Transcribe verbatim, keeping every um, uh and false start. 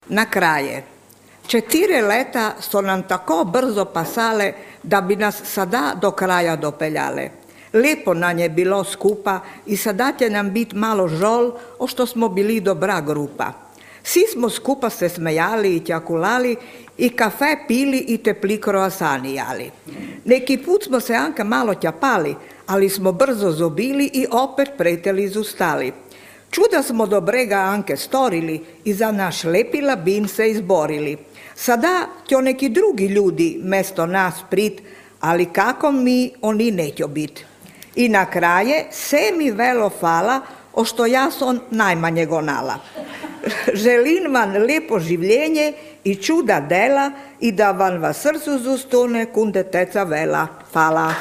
Na kraje, četiri leta so nam tako brzo pasale, da bi nas sada do kraja dopeljale. Lepo nam je bilo skupa i sada će nam bit malo žol, o što smo bili dobra grupa. Svi smo skupa se smejali i ćakulali i kafe pili i tepli kroasani jali. Neki put smo se anka malo ćapali, ali smo brzo zobili i opet preteli zustali. Čuda smo do brega anke storili i za naš lepi labin se izborili. Sada će neki drugi ljudi mesto nas prit, ali kako mi oni nećo bit. I na kraje, se mi velo fala, o što ja sam najmanje gonala. Želim vam lepo življenje i čuda dela i da vam v srcu zustone kunde teca vela. Hvala.